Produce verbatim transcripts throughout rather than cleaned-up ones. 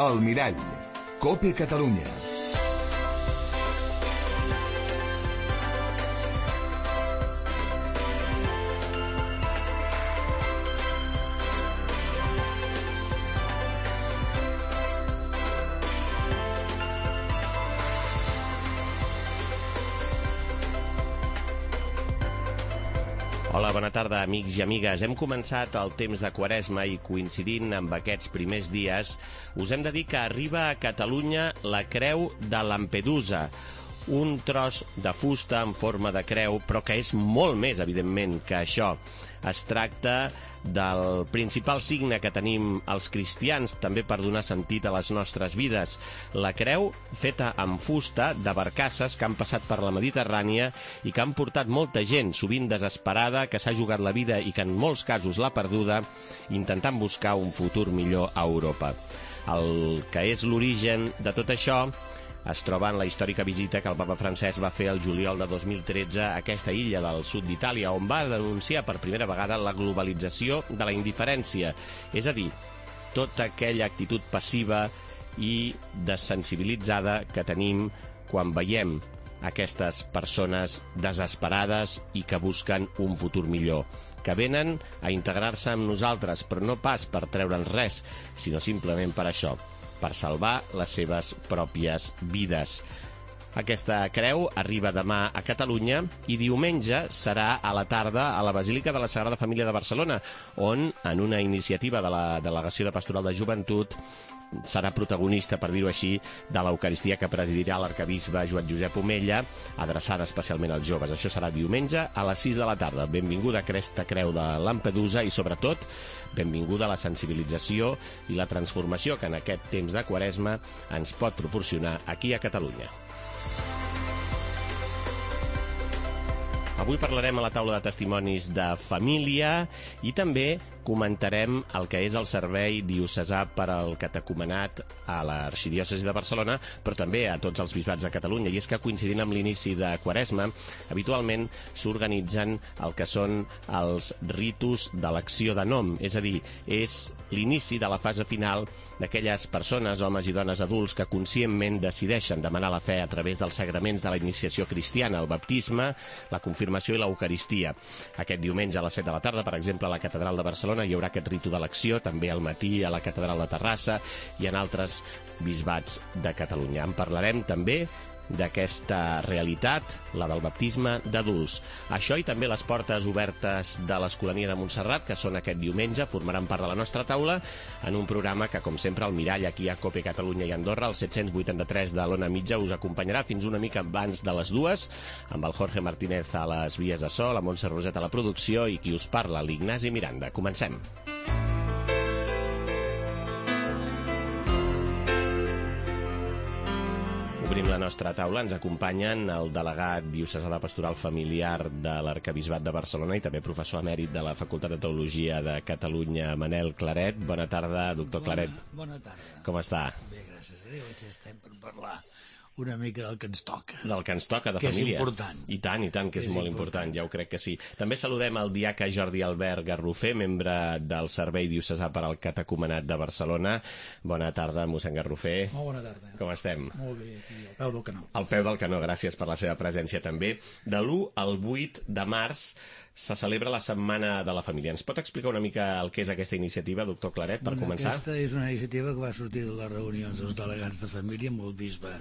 El Mirall, COPE Catalunya. Hola, bona tarda, amics i amigues. Hem començat el temps de Quaresma i, coincidint amb aquests primers dies, us hem de dir que arriba a Catalunya la Creu de Lampedusa, un tros de fusta en forma de creu, però que és molt més, evidentment, que això. Es tracta del principal signe que tenim els cristians, també per donar sentit a les nostres vides. La creu feta amb fusta de barcasses que han passat per la Mediterrània i que han portat molta gent, sovint desesperada, que s'ha jugat la vida i que en molts casos l'ha perduda, intentant buscar un futur millor a Europa. El que és l'origen de tot això es troba en la històrica visita que el papa Francesc va fer el juliol de dos mil tretze a aquesta illa del sud d'Itàlia, on va denunciar per primera vegada la globalització de la indiferència, és a dir, tota aquella actitud passiva i desensibilitzada que tenim quan veiem aquestes persones desesperades i que busquen un futur millor, que venen a integrar-se amb nosaltres, però no pas per treure'ns res, sinó simplement per això, per salvar les seves pròpies vides. Aquesta creu arriba demà a Catalunya i diumenge serà a la tarda a la Basílica de la Sagrada Família de Barcelona, on, en una iniciativa de la Delegació de Pastoral de Joventut, serà protagonista, per dir-ho així, de l'Eucaristia que presidirà l'arcabisbe Joan Josep Omella, adreçada especialment als joves. Això serà diumenge a les sis de la tarda. Benvinguda a aquesta creu de Lampedusa i, sobretot, benvinguda a la sensibilització i la transformació que en aquest temps de Quaresma ens pot proporcionar aquí a Catalunya. Avui parlarem a la taula de testimonis de família i també comentarem el que és el servei diocesà per al catecumenat a l'Arxidiòcesi de Barcelona, però també a tots els bisbats de Catalunya. I és que, coincidint amb l'inici de Quaresma, habitualment s'organitzen el que són els ritus d'elecció de nom, és a dir, és l'inici de la fase final d'aquelles persones, homes i dones adults, que conscientment decideixen demanar la fe a través dels sagraments de la iniciació cristiana, el baptisme, la confirmació i l'Eucaristia. Aquest diumenge a les set de la tarda, per exemple, a la Catedral de Barcelona hi haurà aquest ritu d'elecció, també al matí a la Catedral de Terrassa i en altres bisbats de Catalunya. En parlarem també d'aquesta realitat, la del baptisme d'adults. Això i també les portes obertes de l'Escolania de Montserrat, que són aquest diumenge, formaran part de la nostra taula en un programa que, com sempre, el Mirall aquí a COPE Catalunya i Andorra, el set-cents vuitanta-tres de l'Ona Mitja, us acompanyarà fins una mica abans de les dues, amb el Jorge Martínez a les vies de so, la Montse Roset a la producció i qui us parla, l'Ignasi Miranda. Comencem. Obrim la nostra taula, ens acompanyen el delegat diocesà de Pastoral Familiar de l'Arcabisbat de Barcelona i també professor emèrit de la Facultat de Teologia de Catalunya, Manel Claret. Bona tarda, doctor Claret. Bona, bona tarda. Com està? Bé, gràcies a Déu, aquí estem per parlar una mica del que ens toca. Del que ens toca, de que família. Que és important. I tant, i tant, que, que és, és molt important. important, ja ho crec que sí. També saludem el diaca Jordi Albert Garrofer, membre del Servei Diocesà per al Catecumenat de Barcelona. Bona tarda, mossèn Garrofer. Molt bona tarda. Com estem? Molt bé, aquí, al peu del canó. Al peu del canó, gràcies per la seva presència també. De l'u al vuit de març se celebra la Setmana de la Família. Ens pot explicar una mica el que és aquesta iniciativa, doctor Claret, per bueno, començar? Aquesta és una iniciativa que va sortir de les reunions dels delegats de família amb el bisbe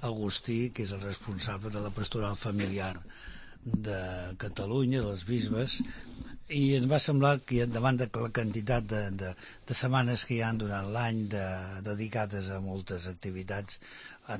Agustí, que és el responsable de la pastoral familiar de Catalunya, dels bisbes, i ens va semblar que davant de la quantitat de, de, de setmanes que hi ha durant l'any de, dedicades a moltes activitats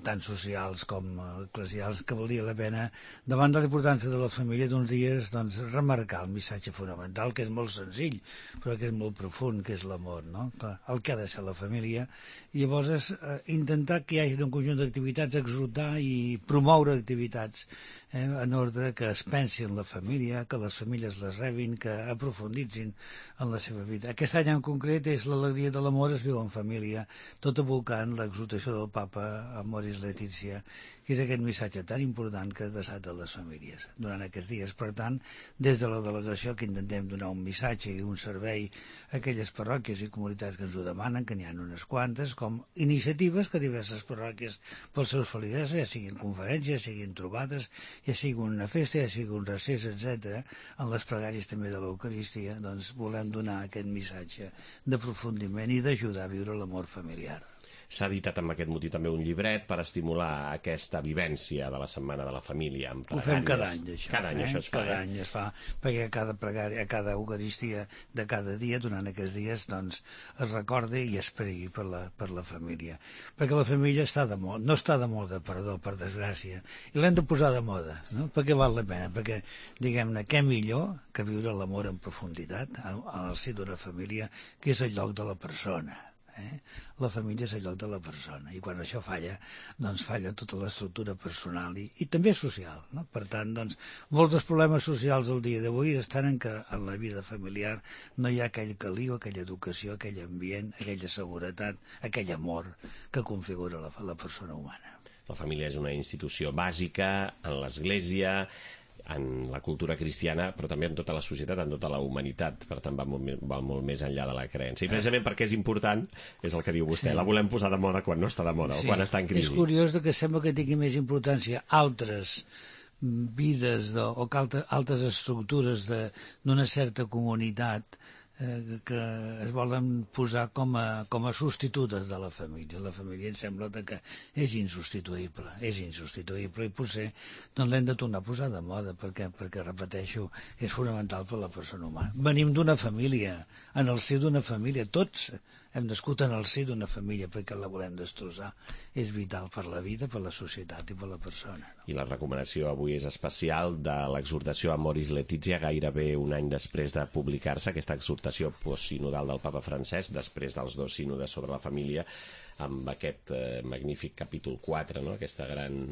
tant socials com eclesials, que valia la pena, davant de la importància de la família d'uns dies, doncs, remarcar el missatge fonamental, que és molt senzill, però que és molt profund, que és l'amor, no? El que ha de ser la família. I llavors és eh, intentar que hi hagi un conjunt d'activitats, exhortar i promoure activitats eh, en ordre que es pensi en la família, que les famílies les rebin, que aprofunditzin en la seva vida. Aquest any en concret és l'alegria de l'amor es viu en família, tot evocant l'exhortació del papa amb Amoris Laetitia, que és aquest missatge tan important que ha adreçat a les famílies durant aquests dies. Per tant, des de la delegació que intentem donar un missatge i un servei a aquelles parròquies i comunitats que ens ho demanen, que n'hi ha unes quantes, com iniciatives que diverses parròquies pels seus feligresos, ja siguin conferències, ja siguin trobades, ja sigui una festa, ja sigui un recés, etcètera, en les pregàries també de l'Eucaristia, doncs volem donar aquest missatge d'aprofundiment i d'ajudar a viure l'amor familiar. S'ha editat amb aquest motiu també un llibret per estimular aquesta vivència de la Setmana de la Família amb pregàries. Ho fem cada any, això. Cada any eh? això es fa. Cada eh? any es fa, perquè a cada pregària, a cada Eucaristia de cada dia, durant aquests dies, doncs, es recorda i es pregui per la, per la família. Perquè la família està de moda, no està de moda, perdó, per desgràcia, i l'hem de posar de moda, no? Perquè val la pena, perquè, diguem-ne, què millor que viure l'amor en profunditat al si d'una família, que és el lloc de la persona. Eh? La família és el lloc de la persona, i quan això falla, doncs falla tota l'estructura personal i, i també social, no? Per tant, doncs, molts dels problemes socials del dia d'avui estan en que en la vida familiar no hi ha aquell caliu, aquella educació, aquell ambient, aquella seguretat, aquell amor que configura la, la persona humana. La família és una institució bàsica en l'Església, en la cultura cristiana, però també en tota la societat, en tota la humanitat, per tant va molt, va molt més enllà de la creença. I precisament perquè és important, és el que diu vostè, sí. La volem posar de moda quan no està de moda, sí. O quan està en crisi. És curiós que sembla que tingui més importància altres vides de, o altres, altres estructures d'una certa comunitat eh, que es volen posar com a, com a substitutes de la família. La família em sembla que és insubstituïble, és insubstituïble i potser doncs l'hem de tornar a posar de moda perquè, perquè, repeteixo, és fonamental per a la persona humana. Venim d'una família, en el si d'una família, tots hem nascut en el si d'una família perquè la volem destrossar. És vital per la vida, per la societat i per la persona. No? I la recomanació avui és especial de l'exhortació Amoris Laetitia, gairebé un any després de publicar-se, aquesta exhortació postsinodal del papa Francesc, després dels dos sínodes sobre la família, amb aquest eh, magnífic capítol quatre, no? Aquesta gran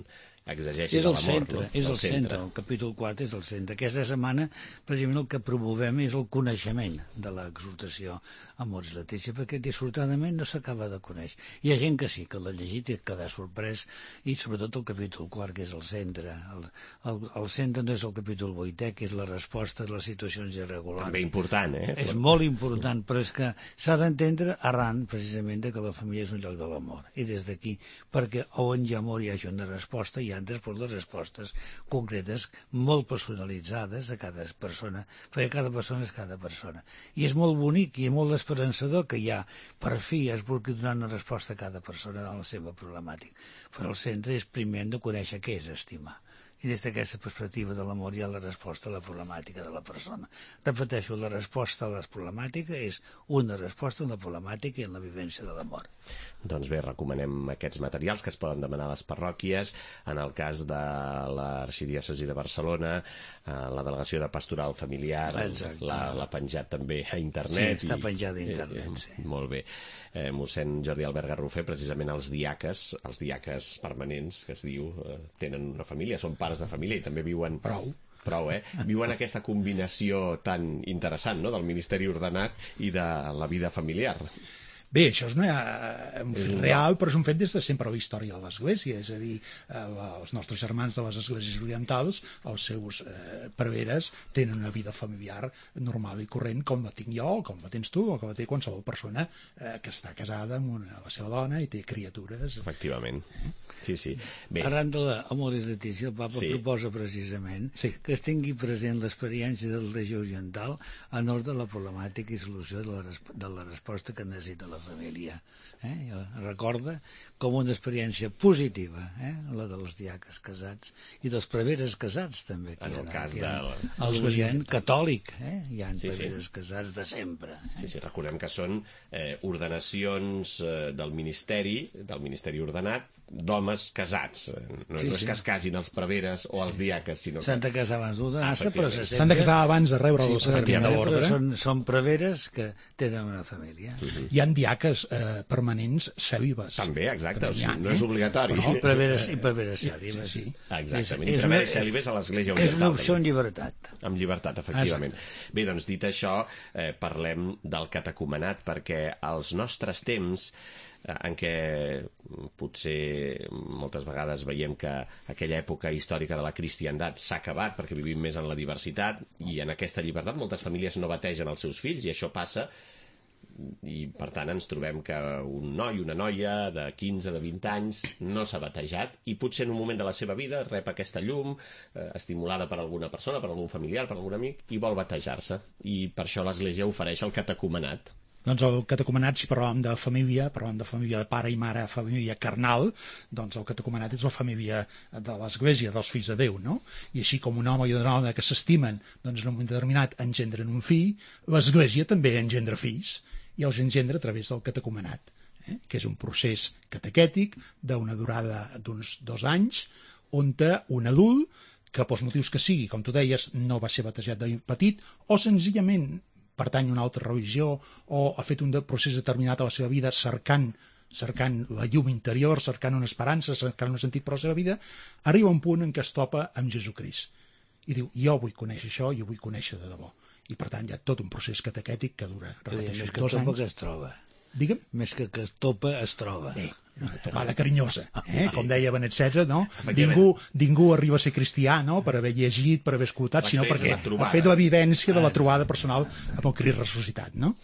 exegesi de l'amor. No? És el centre, el capítol quatre és el centre. Aquesta setmana, precisament, el que promovem és el coneixement de l'exhortació Amoris Laetitia, perquè dissortadament no s'acaba de conèixer. Hi ha gent que sí, que l'ha llegit i queda sorprès, i sobretot el capítol quart, que és el centre. El, el, el centre no és el capítol vuitè, que és la resposta a les situacions irregulars. També important, eh? És molt important, però és que s'ha d'entendre arran, precisament, de que la família és un lloc de l'amor. I des d'aquí, perquè on hi ha amor hi hagi una resposta, i han després les respostes concretes molt personalitzades a cada persona, perquè cada persona és cada persona. I és molt bonic i molt esperançador que ja per fi es vulgui donar una resposta a cada persona a la seva problemàtica. Però el centre és primer de conèixer què és estimar. I des d'aquesta perspectiva de l'amor hi ha la resposta a la problemàtica de la persona. Repeteixo, la resposta a la problemàtica és una resposta a la problemàtica i en la vivència de l'amor. Doncs bé, recomanem aquests materials que es poden demanar a les parròquies. En el cas de l'Arxidiòcesi de Barcelona, la Delegació de Pastoral Familiar l'ha penjat també a internet. Sí, està penjat a internet, sí. Molt bé. Eh, mossèn Jordi Albert Garrofer, precisament els diaques, els diaques permanents, que es diu, eh, tenen una família, són pares de família i també viuen... Prou. Prou, eh? Viuen aquesta combinació tan interessant, no?, del ministeri ordenat i de la vida familiar. Bé, això és una, un fet real, però és un fet des de sempre a la història de l'Església, és a dir, els nostres germans de les Esglésies Orientals, els seus eh, preveres, tenen una vida familiar normal i corrent, com la tinc jo, com la tens tu, o com la té qualsevol persona eh, que està casada amb una, la seva dona i té criatures. Efectivament. Sí, sí. Bé. Arran de l'Amoris Laetitia, el papa sí. proposa precisament sí. que es tingui present l'experiència del regió oriental en ordre a la problemàtica i solució de la, de la resposta que necessita la família. Eh? Recorda com una experiència positiva, eh? la dels diaques casats i dels preveres casats també. En el cas de... El moviment catòlic, eh? hi ha sí, preveres sí. casats de sempre. Eh? Sí, sí, recordem que són eh, ordenacions eh, del ministeri, del ministeri ordenat, d'homes casats. No, sí, no és sí. que es casin els preveres o els diaques, sinó que... S'han de casar abans d'ordenar-se, ah, però se s'han de casar abans de rebre sí, el sacrament de l'ordre. Són, són preveres que tenen una família. Uh-huh. Hi ha diaques eh, permanents cèlibes. També, exacte, o sigui, ha, no és obligatori. No, preveres i preveres cèlibes. Sí, sí. Exactament, i preveres cèlibes a l'Església Oriental. És una opció en llibertat. Amb llibertat, efectivament. Exacte. Bé, doncs, dit això, eh, parlem del catecumenat, perquè als nostres temps en què potser moltes vegades veiem que aquella època històrica de la cristiandat s'ha acabat perquè vivim més en la diversitat, i en aquesta llibertat moltes famílies no bategen els seus fills, i això passa, i per tant ens trobem que un noi, una noia de quinze, de vint anys no s'ha batejat, i potser en un moment de la seva vida rep aquesta llum eh, estimulada per alguna persona, per algun familiar, per algun amic, i vol batejar-se, i per això l'Església ofereix el catecumenat. Doncs el catecumenat, si parlàvem de família, parlàvem de família de pare i mare, família carnal, doncs el catecumenat és la família de l'Església, dels fills de Déu, no? I així com un home i una dona que s'estimen, doncs en un moment determinat engendren un fill, l'Església també engendra fills, i els engendra a través del catecumenat, eh? que és un procés catequètic d'una durada d'uns dos anys, on un adult, que pels motius que sigui, com tu deies, no va ser batejat de petit, o senzillament pertany a una altra religió, o ha fet un procés determinat a la seva vida cercant, cercant la llum interior, cercant una esperança, cercant un sentit per a la seva vida, arriba un punt en què es topa amb Jesucrist. I diu, jo vull conèixer això, jo vull conèixer de debò. I per tant hi ha tot un procés catequètic que dura, repeteixo, que dos topa anys. Que es troba. Digue'm? Més que que es topa, es troba. Bé, una topada carinyosa, eh? Sí. Com deia Benet setze, no? Ningú, ningú arriba a ser cristià, no?, per haver llegit, per haver escoltat, sinó perquè ha fet la vivència de la trobada personal amb el Crist ressuscitat, no?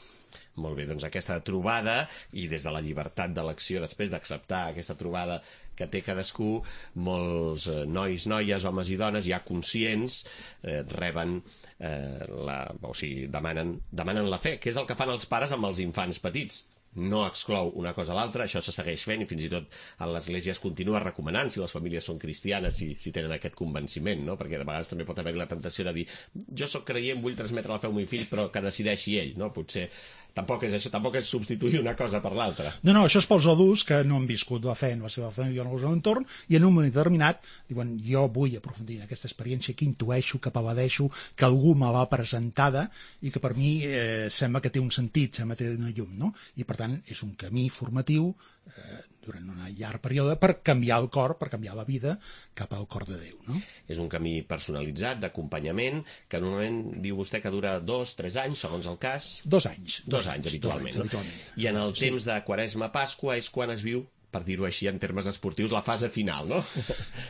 Molt bé, doncs aquesta trobada, i des de la llibertat d'elecció, després d'acceptar aquesta trobada que té cadascú, molts eh, nois, noies, homes i dones, ja conscients, eh, reben, eh, la, o sigui, demanen, demanen la fe, que és el que fan els pares amb els infants petits. No exclou una cosa a l'altra, això se segueix fent, i fins i tot en l'Església es continua recomanant, si les famílies són cristianes, si, si tenen aquest convenciment, no? Perquè de vegades també pot haver la tentació de dir, jo sóc creient, vull transmetre la fe al meu fill, però que decideixi ell, no? Potser tampoc és això, tampoc és substituir una cosa per l'altra. No, no, això és pels adults que no han viscut la fe en la seva família o en el seu entorn, i en un moment determinat diuen, jo vull aprofundir en aquesta experiència que intueixo, que paladeixo, que algú me l'ha presentada i que per mi eh, sembla que té un sentit, sembla que té una llum, no? I per tant és un camí formatiu eh, durant un llarg període per canviar el cor, per canviar la vida cap al cor de Déu, no? És un camí personalitzat, d'acompanyament, que normalment diu vostè que dura dos, tres anys, segons el cas. Dos anys. Dos, dos anys, habitualment, dos anys, no? habitualment. I en el sí. temps de Quaresma-Pasqua és quan es viu, per dir-ho així en termes esportius, la fase final, no?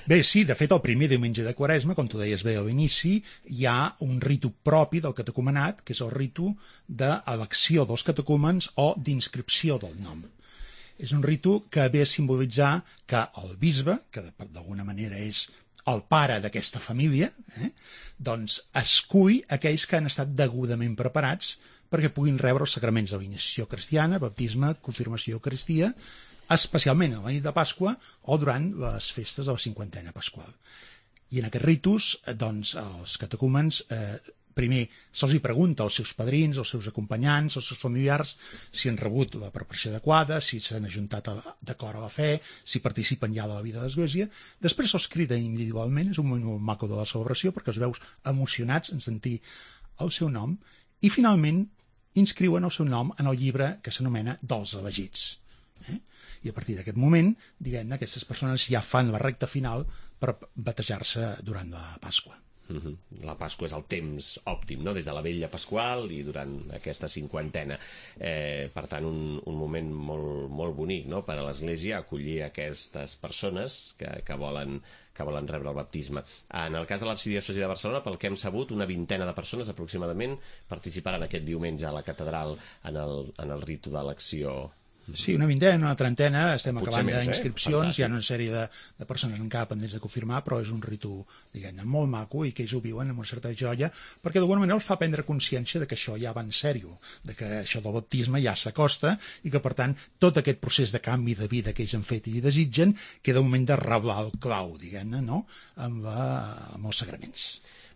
Bé, sí, de fet, el primer diumenge de Quaresma, com tu deies bé a l'inici, hi ha un ritu propi del catecumenat, que és el ritu d'elecció dels catecúmens o d'inscripció del nom. És un ritu que ve a simbolitzar que el bisbe, que d'alguna manera és el pare d'aquesta família, eh, doncs escull aquells que han estat degudament preparats perquè puguin rebre els sacraments de l'iniciació cristiana, baptisme, confirmació, eucaristia, especialment a la nit de Pasqua o durant les festes de la cinquantena pasqual. I en aquests ritus, doncs, els catecúmens, eh, primer se'ls hi pregunta als seus padrins, als seus acompanyants, als seus familiars, si han rebut la preparació adequada, si s'han ajuntat a, d'acord a la fe, si participen ja de la vida de l'Església. Després se'ls crida individualment, és un moment molt maco de la celebració, perquè els veus emocionats en sentir el seu nom, i finalment inscriuen el seu nom en el llibre que s'anomena dels elegits. Eh? I a partir d'aquest moment, diguem-ne, aquestes persones ja fan la recta final per batejar-se durant la Pasqua. Mm-hmm. La Pasqua és el temps òptim, no? Des de la vella pasqual i durant aquesta cinquantena. Eh, per tant, un, un moment molt, molt bonic, no? Per a l'Església acollir aquestes persones que, que, volen, que volen rebre el baptisme. En el cas de l'Arxidiòcesi de Barcelona, pel que hem sabut, una vintena de persones aproximadament participaran aquest diumenge a la catedral en el, en el ritu d'elecció. Sí, una vintena, una trentena, estem Potser acabant més, eh? d'inscripcions, Fantàstic. hi ha una sèrie de, de persones encara pendents de confirmar, però és un ritu, diguem-ne, molt maco i que ells ho viuen amb una certa joia, perquè d'alguna manera els fa prendre consciència de que això ja va en sèrio, de que això del baptisme ja s'acosta i que, per tant, tot aquest procés de canvi de vida que ells han fet i desitgen queda un moment de reblar el clau, diguem-ne, no?, amb, la, amb els sagraments.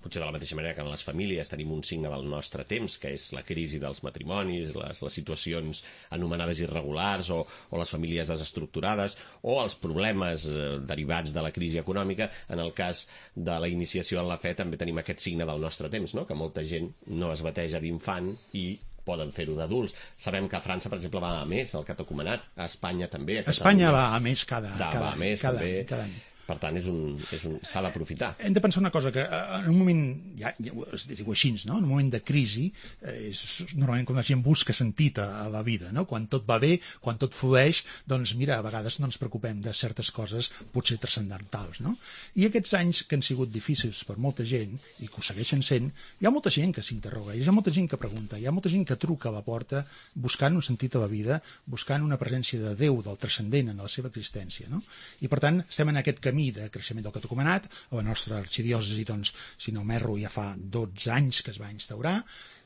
Potser de la mateixa manera que en les famílies tenim un signe del nostre temps, que és la crisi dels matrimonis, les, les situacions anomenades irregulars o, o les famílies desestructurades o els problemes eh, derivats de la crisi econòmica. En el cas de la iniciació en la fe també tenim aquest signe del nostre temps, no? Que molta gent no es bateja d'infant i poden fer-ho d'adults. Sabem que a França, per exemple, va a més el catecumenat, a Espanya també. A Espanya va a més cada, Da, cada, va a més, cada, també. cada any. Per tant, és un, és un, s'ha d'aprofitar. Hem de pensar una cosa, que en un moment, ja, ja es diu així, no? En un moment de crisi, eh, és normalment quan la gent busca sentit a, a la vida, no? Quan tot va bé, quan tot flueix, doncs mira, a vegades no ens preocupem de certes coses potser transcendentals, no? I aquests anys que han sigut difícils per molta gent, i que ho segueixen sent, hi ha molta gent que s'interroga, hi ha molta gent que pregunta, hi ha molta gent que truca a la porta buscant un sentit a la vida, buscant una presència de Déu, del transcendent en la seva existència, no? I per tant, estem en aquest camí de creixement del catecumenat. A la nostra arxidiòcesi, doncs, si no m'erro, ja fa dotze anys que es va instaurar,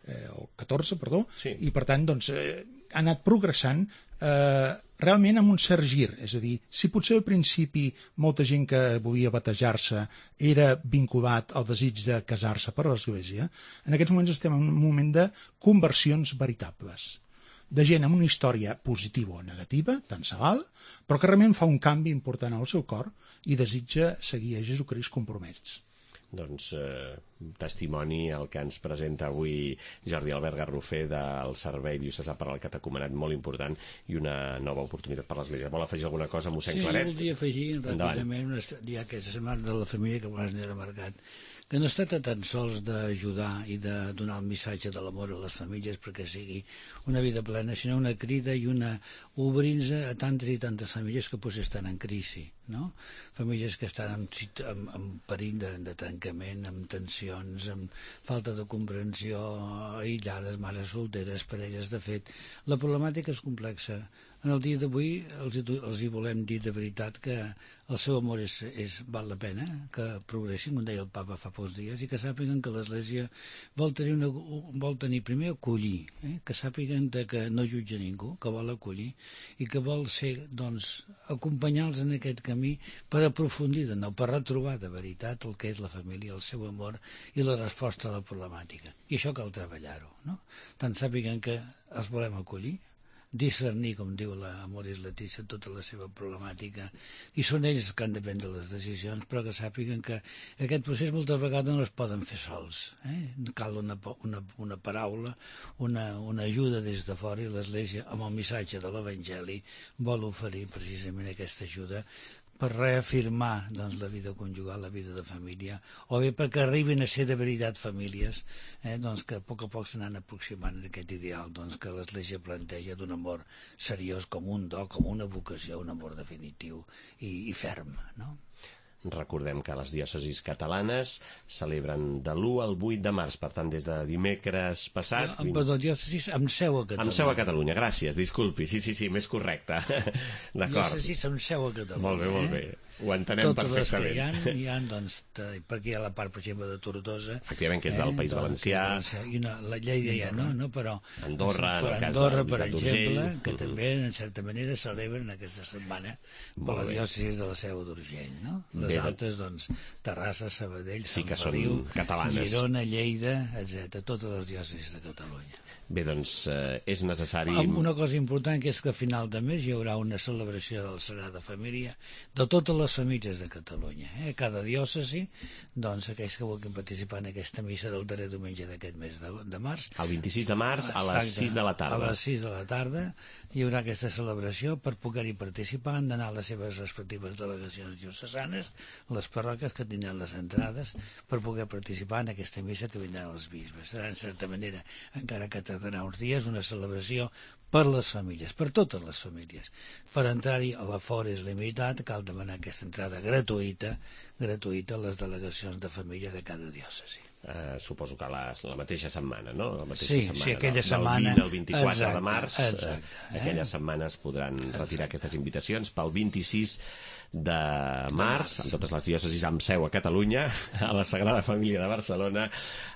eh, o catorze, perdó, sí. I per tant, doncs, eh, ha anat progressant eh, realment amb un cert gir. És a dir, si potser al principi molta gent que volia batejar-se era vinculat al desig de casar-se per l'Església, en aquests moments estem en un moment de conversions veritables, de gent amb una història positiva o negativa, tant se val, però que realment fa un canvi important al seu cor i desitja seguir a Jesucrist compromès. Doncs eh, testimoni el que ens presenta avui Jordi Albert Garrofer del Servei Diocesà per al Catecumenat, molt important i una nova oportunitat per l'Església. Vol afegir alguna cosa, mossèn sí, Claret? Sí, voldria afegir ràpidament una, ja aquesta setmana de la família que abans n'era marcat, que no es tracta tan sols d'ajudar i de donar el missatge de l'amor a les famílies perquè sigui una vida plena, sinó una crida i una obrint-nos a tantes i tantes famílies que potser estan en crisi, no? Famílies que estan en, en, en perill de, de trencament, amb tensions, amb falta de comprensió, aïllades, mares solteres, parelles. De fet, la problemàtica és complexa. En el dia d'avui els, els hi volem dir de veritat que el seu amor és, és, val la pena, que progressin, com deia el papa fa pocs dies, i que sàpiguen que l'Església vol tenir, una, vol tenir primer acollir, eh? que sàpiguen que no jutja ningú, que vol acollir i que vol ser, doncs, acompanyar-los en aquest camí per aprofundir de nou, per retrobar de veritat el que és la família, el seu amor i la resposta a la problemàtica. I això cal treballar-ho, no? Tant sàpiguen que els volem acollir, discernir, com diu la Amoris Laetitia, tota la seva problemàtica, i són ells que han de prendre les decisions, però que sàpiguen que aquest procés moltes vegades no es poden fer sols. Eh? Cal una, una, una paraula, una, una ajuda des de fora, i l'Església, amb el missatge de l'Evangeli, vol oferir precisament aquesta ajuda per reafirmar, doncs, la vida conjugal, la vida de família, o bé perquè arribin a ser de veritat famílies, eh, doncs, que a poc a poc s'anan aproximant a aquest ideal, doncs, que l'Església planteja d'un amor seriós com un do, com una vocació, un amor definitiu i, i ferm, no? Recordem que les diòcesis catalanes celebren de l'u al vuit de març, per tant, des de dimecres passat... Fins... Perdó, diòcesis amb seu a Catalunya. Amb seu a Catalunya, gràcies, disculpi, sí, sí, sí, més correcte. D'acord. Diòcesis amb seu a Catalunya. Molt bé, molt bé. Eh? Ho entenem totes perfectament. Totes les que hi ha, hi ha, doncs, perquè hi ha la part, per exemple, de Tortosa. Efectivament, que és del eh? País Valencià. I una, la Lleida ja no, no, però... Andorra, en el cas Andorra, de per exemple, que mm-hmm. també, en certa manera, celebren aquesta setmana per la diòcesis de la Seu d'Urgell, no? Les bé, altres, doncs, Terrassa, Sabadell, sí Sant que Feliu, són catalanes. Girona, Lleida, etcètera, totes les diòcesis de Catalunya. Bé, doncs, eh, és necessari... Una cosa important que és que a final de mes hi haurà una celebració de la Sagrada Família de totes les famílies de Catalunya. Eh? Cada diòcesi, doncs, aquells que vulguin participar en aquesta missa del darrer diumenge d'aquest mes de, de març... El vint-i-sis de març a les sis de la tarda. A les sis de la tarda hi haurà aquesta celebració. Per poder-hi participar han d'anar a les seves respectives delegacions diocesanes, les parròquies que tindran les entrades, per poder participar en aquesta missa que vindran els bisbes. Serà, en certa manera, encara que tardarà uns dies, una celebració per les famílies, per totes les famílies. Per entrar-hi, l'afort és limitat, cal demanar aquesta entrada gratuïta, gratuïta a les delegacions de família de cada diòcesi. Uh, suposo que la, la mateixa setmana, no? La mateixa sí, setmana, sí, aquella del, setmana... Del vint al vint-i-quatre exacte, de març, exacte, eh? aquella setmana es podran retirar exacte. Aquestes invitacions pel vint-i-sis de març, amb totes les diòcesis amb seu a Catalunya, a la Sagrada Família de Barcelona,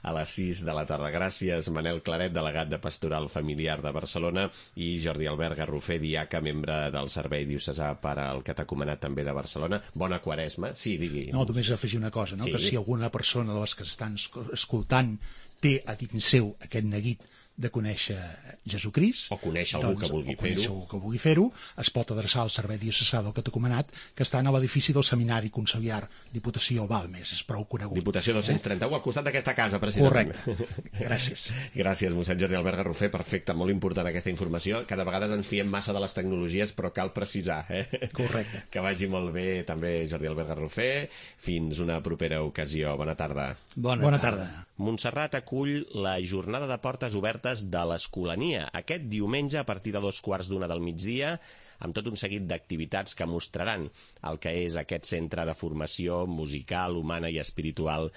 a les sis de la tarda. Gràcies, Manel Claret, delegat de Pastoral Familiar de Barcelona, i Jordi Albert Garrofer, diaca, membre del Servei Diocesà per al Catecumenat també de Barcelona. Bona Quaresma. Sí, digui. No, només afegir una cosa, no? Sí. Que si alguna persona de les que estan escoltant té a dins seu aquest neguit de conèixer Jesucrist, o conèixer algú doncs, que vulgui o conèixer fer-ho, algú que vulgui fer-ho, es pot adreçar al Servei Diocesà del Catecumenat, que està a l'edifici del Seminari Conciliar, Diputació Balmes, és prou conegut. Diputació dos-cents trenta-u, al costat d'aquesta casa, precisament. Correcte. Gràcies. Gràcies, mossèn Jordi Albert Garrofer. Perfecte, molt important aquesta informació. Cada vegada ens fiem massa de les tecnologies, però cal precisar, eh? Correcte. Que vagi molt bé també Jordi Albert Garrofer. Fins una propera ocasió. Bona tarda. Bona, Bona tarda. tarda. Montserrat acull la jornada de portes obertes de l'Escolania aquest diumenge a partir de dos quarts d'una del migdia, amb tot un seguit d'activitats que mostraran el que és aquest centre de formació musical, humana i espiritual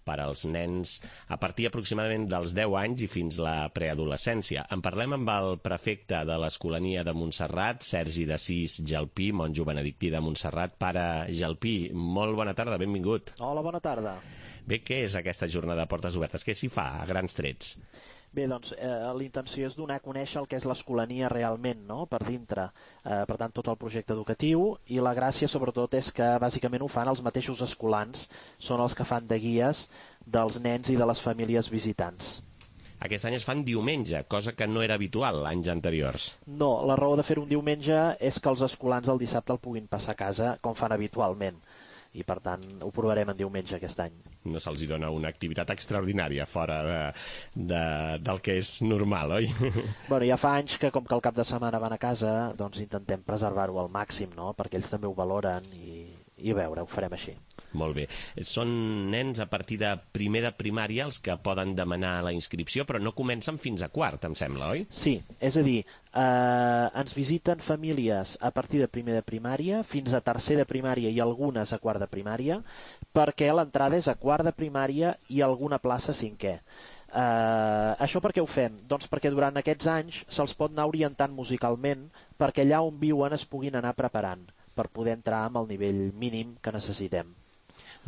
per als nens a partir aproximadament dels deu anys i fins la preadolescència. En parlem amb el prefecte de l'Escolania de Montserrat, Sergi d'Assís Gelpí, monjo benedictí de Montserrat. Pare Gelpí, molt bona tarda, benvingut. Hola, bona tarda. Bé, què és aquesta jornada de portes obertes? Què s'hi fa, a grans trets? Bé, doncs, eh, la intenció és donar a conèixer el que és l'Escolania realment, no?, per dintre. Eh, per tant, tot el projecte educatiu, i la gràcia, sobretot, és que bàsicament ho fan els mateixos escolans, són els que fan de guies dels nens i de les famílies visitants. Aquest any es fan diumenge, cosa que no era habitual anys anteriors. No, la raó de fer un diumenge és que els escolans el dissabte el puguin passar a casa com fan habitualment. I per tant ho provarem en diumenge aquest any. No se'ls dona una activitat extraordinària fora de, de, del que és normal, oi? Bueno, ja fa anys que com que el cap de setmana van a casa, doncs intentem preservar-ho al màxim, no?, perquè ells també ho valoren i, i a veure, ho farem així. Molt bé. Són nens a partir de primer de primària els que poden demanar la inscripció, però no comencen fins a quart, em sembla, oi? Sí, és a dir, eh, ens visiten famílies a partir de primer de primària fins a tercer de primària i algunes a quart de primària, perquè l'entrada és a quart de primària i alguna plaça a cinquè. Uh, això per què ho fem? Doncs perquè durant aquests anys se'ls pot anar orientant musicalment perquè allà on viuen es puguin anar preparant per poder entrar amb el nivell mínim que necessitem.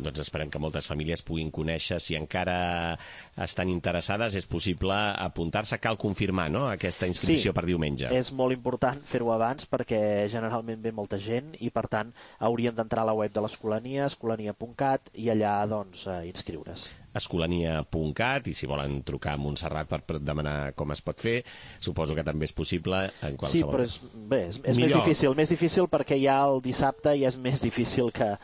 Doncs esperem que moltes famílies puguin conèixer. Si encara estan interessades, és possible apuntar-se. Cal confirmar, no?, aquesta inscripció sí, per diumenge. És molt important fer-ho abans perquè generalment ve molta gent i, per tant, hauríem d'entrar a la web de l'Escolania, escolania punt cat, i allà, doncs, eh, inscriure's. escolania punt cat, i si volen trucar a Montserrat per demanar com es pot fer, suposo que també és possible en qualsevol... Sí, però és, bé, és, és més difícil, més difícil perquè ja el dissabte ja és més difícil que,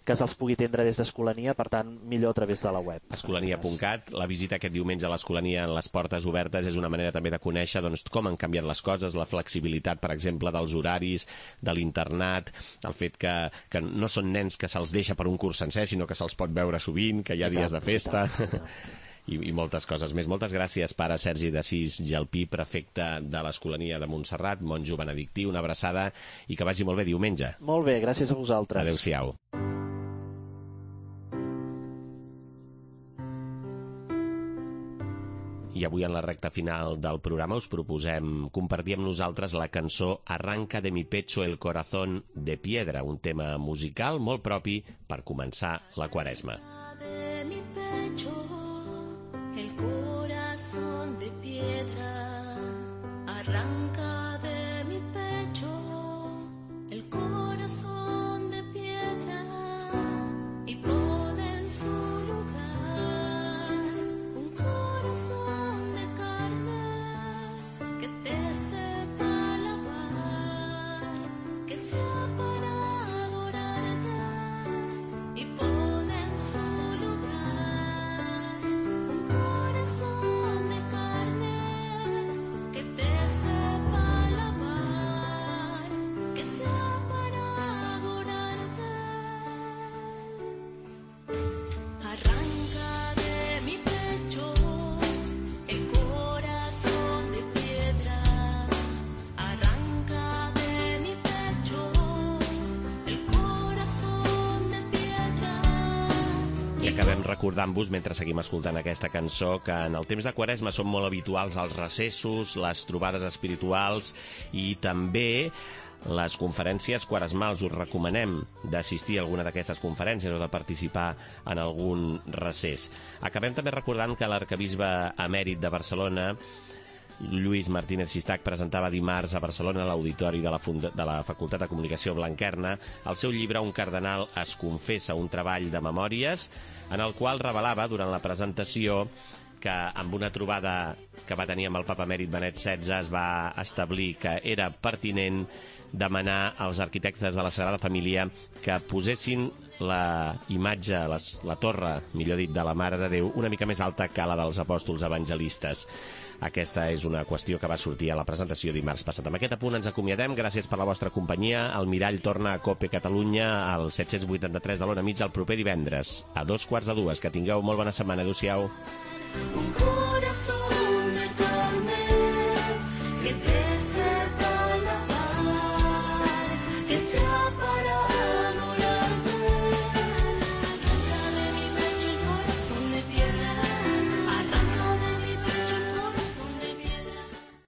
que se'ls pugui atendre des d'Escolania, per tant, millor a través de la web. escolania punt cat, la visita aquest diumenge a l'Escolania en les portes obertes és una manera també de conèixer, doncs, com han canviat les coses, la flexibilitat, per exemple, dels horaris, de l'internat, el fet que, que no són nens que se'ls deixa per un curs sencer, sinó que se'ls pot veure sovint, que hi ha dies de festa... I, i moltes coses més. Moltes gràcies, pare Sergi d'Assís Gelpí, prefecte de l'Escolania de Montserrat, monjo benedictí, una abraçada i que vagi molt bé diumenge. Molt bé, gràcies a vosaltres. Adéu-siau. I avui, en la recta final del programa, us proposem compartir amb nosaltres la cançó Arranca de mi pecho el corazón de piedra, un tema musical molt propi per començar la Quaresma. El corazón de piedra, arranca de mi pecho el corazón de piedra y pone en su lugar un corazón de carne que te sepa alabar, que sea para adorarte y pone en su lugar un corazón de carne que te sepa alabar, que sea para adorarte. Arranca de mi pecho el corazón de piedra, arranca de mi pecho el corazón de piedra. I acabem recordant-vos, mentre seguim escoltant aquesta cançó, que en el temps de Quaresma són molt habituals els recessos, les trobades espirituals i també les conferències quaresmals. Us recomanem d'assistir a alguna d'aquestes conferències o de participar en algun recés. Acabem també recordant que l'arquebisbe emèrit de Barcelona, Lluís Martínez Sistac, presentava dimarts a Barcelona, a l'auditori de la, Funda de la Facultat de Comunicació Blanquerna, el seu llibre Un cardenal es confessa, un treball de memòries, en el qual revelava durant la presentació que amb una trobada que va tenir amb el papa emèrit Benet setze es va establir que era pertinent demanar als arquitectes de la Sagrada Família que posessin la imatge, les, la torre, millor dit, de la Mare de Déu una mica més alta que la dels apòstols evangelistes. Aquesta és una qüestió que va sortir a la presentació dimarts passat. Amb aquest apunt ens acomiadem. Gràcies per la vostra companyia. El Mirall torna a COPE Catalunya al set-cents vuitanta-tres de l'Ona Mitja el proper divendres a dos quarts de dues. Que tingueu molt bona setmana. Adéu-siau.